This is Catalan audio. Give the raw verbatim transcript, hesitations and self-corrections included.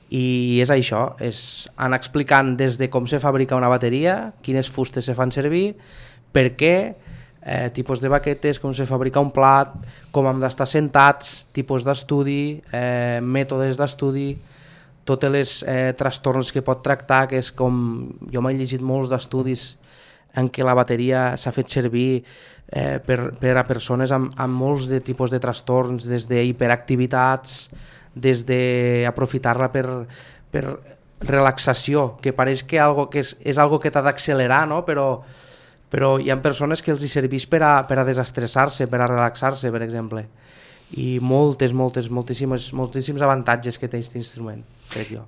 i és això, és anar explicant des de com se fabrica una bateria, quines fustes se fan servir, per què, eh, tipus de baquetes, com se fabrica un plat, com hem d'estar sentats, tipus d'estudi, eh, mètodes d'estudi, totes les eh, trastorns que pot tractar, que és com, jo m'he llegit molts d'estudis en què la bateria s'ha fet servir eh, per, per a persones amb, amb molts de tipus de trastorns, des d'hiperactivitats, des d'aprofitar-la per, per relaxació, que pareix que, algo que és, és algo que t'ha d'accelerar, no? però, però hi ha persones que els hi serveix per a, per a desestressar-se, per a relaxar-se, per exemple. I moltes, moltes, moltíssims, moltíssims avantatges que té aquest instrument, crec jo.